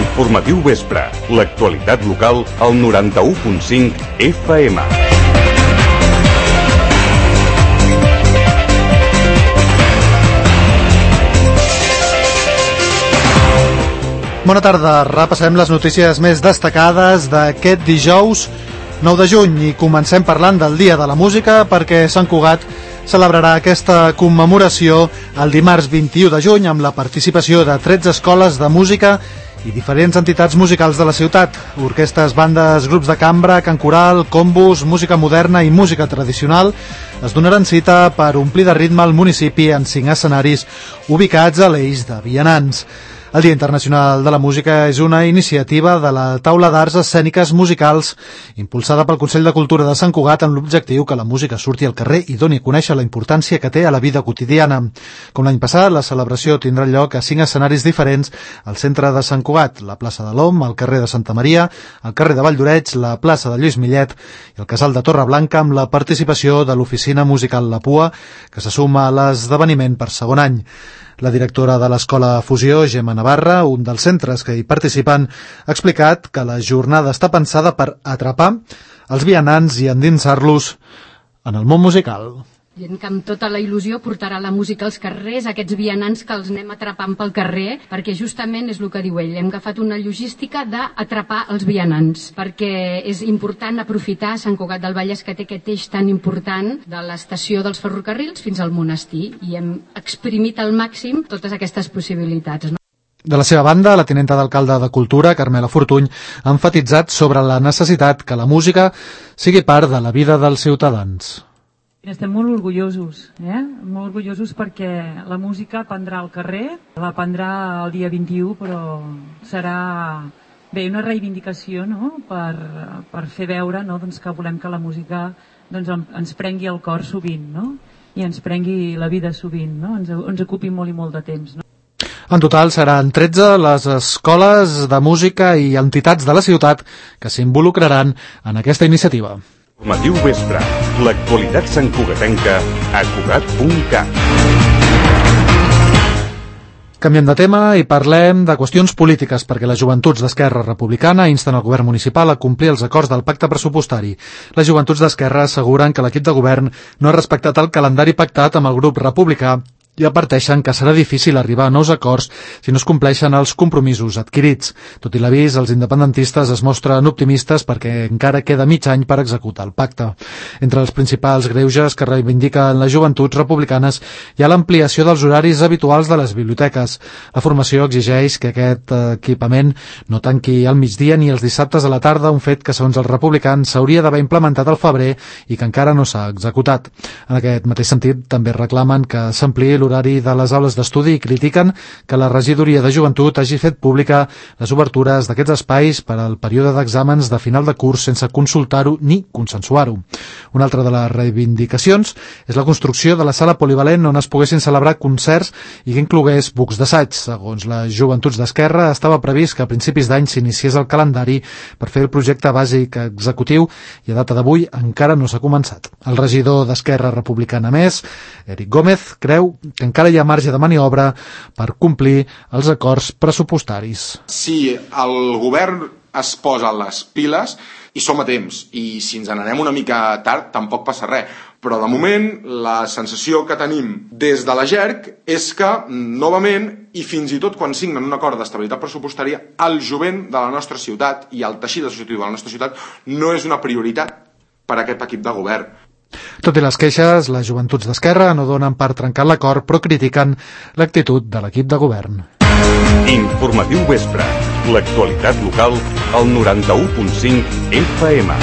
Informatiu vespre. L'actualitat local al 91.5 FM. Bona tarda, repassem les notícies més destacades d'aquest dijous 9 de juny i comencem parlant del Dia de la Música perquè Sant Cugat celebrarà aquesta commemoració el dimarts 21 de juny amb la participació de 13 escoles de música i diferents entitats musicals de la ciutat, orquestres, bandes, grups de cambra, cant coral, combos, música moderna i música tradicional es donaran cita per omplir de ritme el municipi en 5 escenaris ubicats a l'eix de vianants. El Dia Internacional de la Música és una iniciativa de la Taula d'Arts Escèniques Musicals impulsada pel Consell de Cultura de Sant Cugat amb l'objectiu que la música surti al carrer i doni a conèixer la importància que té a la vida quotidiana. Com l'any passat, la celebració tindrà lloc a 5 escenaris diferents al centre de Sant Cugat, la plaça de l'Om, el carrer de Santa Maria, el carrer de Valldoreix, la plaça de Lluís Millet i el casal de Torreblanca amb la participació de l'Oficina Musical La Pua, que se suma a l'esdeveniment per segon any. La directora de l'Escola Fusió, Gemma Navarra, un dels centres que hi participen, ha explicat que la jornada està pensada per atrapar els vianants i endinsar-los en el món musical. Gent que amb tota la il·lusió portarà la música als carrers, aquests vianants que els anem atrapant pel carrer, perquè justament és el que diu ell, hem agafat una logística d'atrapar els vianants, perquè és important aprofitar Sant Cugat del Vallès, que té aquest eix tan important de l'estació dels ferrocarrils fins al monestir, i hem exprimit al màxim totes aquestes possibilitats, no? De la seva banda, la tinenta d'alcalde de Cultura, Carmela Fortuny, ha emfatitzat sobre la necessitat que la música sigui part de la vida dels ciutadans. Estem molt orgullosos, molt orgullosos perquè la música prendrà al carrer, la prendrà el dia 21, però serà una reivindicació, no? per fer veure, no? Que volem que la música ens prengui el cor sovint, no? I ens prengui la vida sovint, no? Ens ocupi molt i molt de temps, no? En total seran 13 les escoles de música i entitats de la ciutat que s'involucraran en aquesta iniciativa. Informatiu vespre. L'actualitat santcugatenca a Cugat.cat. Canviem de tema i parlem de qüestions polítiques perquè les joventuts d'Esquerra Republicana insten el govern municipal a complir els acords del pacte pressupostari. Les joventuts d'Esquerra asseguren que l'equip de govern no ha respectat el calendari pactat amb el grup republicà i adverteixen que serà difícil arribar a nous acords si no es compleixen els compromisos adquirits. Tot i l'avís, els independentistes es mostren optimistes perquè encara queda mig any per executar el pacte. Entre els principals greuges que reivindiquen les joventuts republicanes hi ha l'ampliació dels horaris habituals de les biblioteques. La formació exigeix que aquest equipament no tanqui al migdia ni els dissabtes a la tarda, un fet que, segons els republicans, s'hauria d'haver implementat al febrer i que encara no s'ha executat. En aquest mateix sentit, també reclamen que s'ampliï l'horari de les aules d'estudi i critiquen que la regidoria de joventut hagi fet pública les obertures d'aquests espais per al període d'exàmens de final de curs sense consultar-ho ni consensuar-ho. Una altra de les reivindicacions és la construcció de la sala polivalent on es poguessin celebrar concerts i que inclogués bucs d'assaig. Segons les joventuts d'Esquerra, estava previst que a principis d'any s'iniciés el calendari per fer el projecte bàsic executiu i a data d'avui encara no s'ha començat. El regidor d'Esquerra Republicana més, Eric Gómez, creu que encara hi ha marge de maniobra per complir els acords pressupostaris. Si el govern es posa les piles i som a temps, i si ens n'anem una mica tard tampoc passa res, però de moment la sensació que tenim des de la GERC és que novament, i fins i tot quan signen un acord d'estabilitat pressupostària, el jovent de la nostra ciutat i el teixit associatiu de la nostra ciutat no és una prioritat per a aquest equip de govern. Tot i les queixes, les joventuts d'Esquerra no donen per trencar l'acord, però critiquen l'actitud de l'equip de govern. Informatiu vespre. L'actualitat local al 91.5 FM.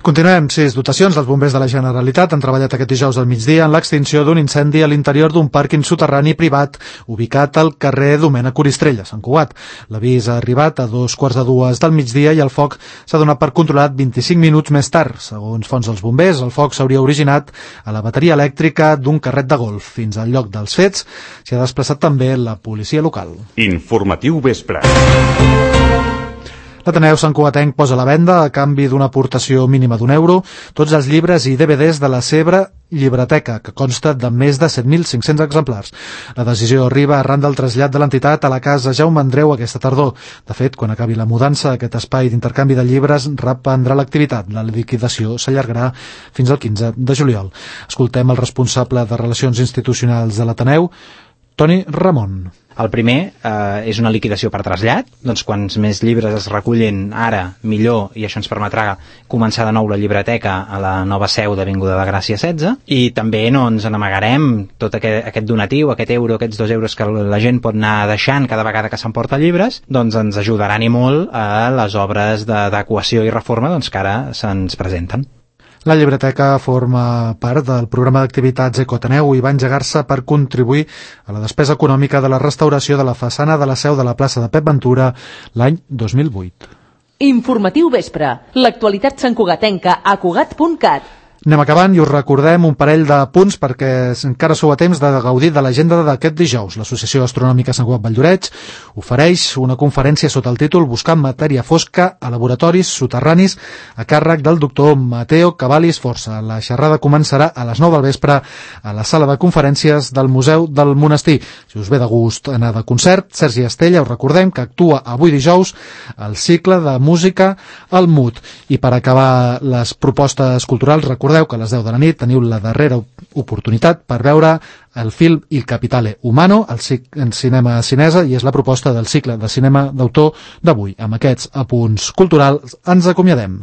Continuem. 6 dotacions dels bombers de la Generalitat han treballat aquest dijous al migdia en l'extinció d'un incendi a l'interior d'un pàrquing soterrani privat ubicat al carrer Domènec Coristrell, a Sant Cugat. L'avís ha arribat a 2:45 del migdia i el foc s'ha donat per controlat 25 minuts més tard. Segons fonts dels bombers, el foc s'hauria originat a la bateria elèctrica d'un carret de golf. Fins al lloc dels fets s'hi ha desplaçat també la policia local. Informatiu vespre. L'Ateneu Santcugatenc posa a la venda, a canvi d'una aportació mínima d'€1, tots els llibres i DVDs de la seva llibreteca, que consta de més de 7.500 exemplars. La decisió arriba arran del trasllat de l'entitat a la casa Jaume Andreu aquesta tardor. De fet, quan acabi la mudança, aquest espai d'intercanvi de llibres reprendrà l'activitat. La liquidació s'allargarà fins al 15 de juliol. Escoltem el responsable de Relacions Institucionals de l'Ateneu, Toni Ramon. El primer és una liquidació per trasllat, doncs quants més llibres es recullen ara, millor, i això ens permetrà començar de nou la llibreteca a la nova seu d'Avinguda de Gràcia 16, i també no ens n'amagarem tot aquest donatiu, aquest euro, aquests €2 que la gent pot anar deixant cada vegada que s'emporta llibres, doncs ens ajudaran i molt a les obres d'adequació i reforma doncs, que ara se'ns presenten. La llibreteca forma part del programa d'activitats Ecoateneu i va engegar-se per contribuir a la despesa econòmica de la restauració de la façana de la seu de la plaça de Pep Ventura l'any 2008. Informatiu vespre. L'actualitat santcugatenca a Cugat.cat. Anem acabant i us recordem un parell de punts perquè encara sou a temps de gaudir de l'agenda d'aquest dijous. L'Associació Astronòmica Sant Cugat Valldoreix ofereix una conferència sota el títol Buscant matèria fosca a laboratoris soterranis a càrrec del doctor Mateo Cavallis Força. La xerrada començarà a les 9 del vespre a la sala de conferències del Museu del Monestir. Si us ve de gust anar de concert, Sergi Estella, us recordem que actua avui dijous al cicle de música al MUT. I per acabar les propostes culturals, recordeu que a les 10 de la nit teniu la darrera oportunitat per veure el film Il Capitale Umano en cinema cinesa, i és la proposta del cicle de cinema d'autor d'avui. Amb aquests apunts culturals ens acomiadem.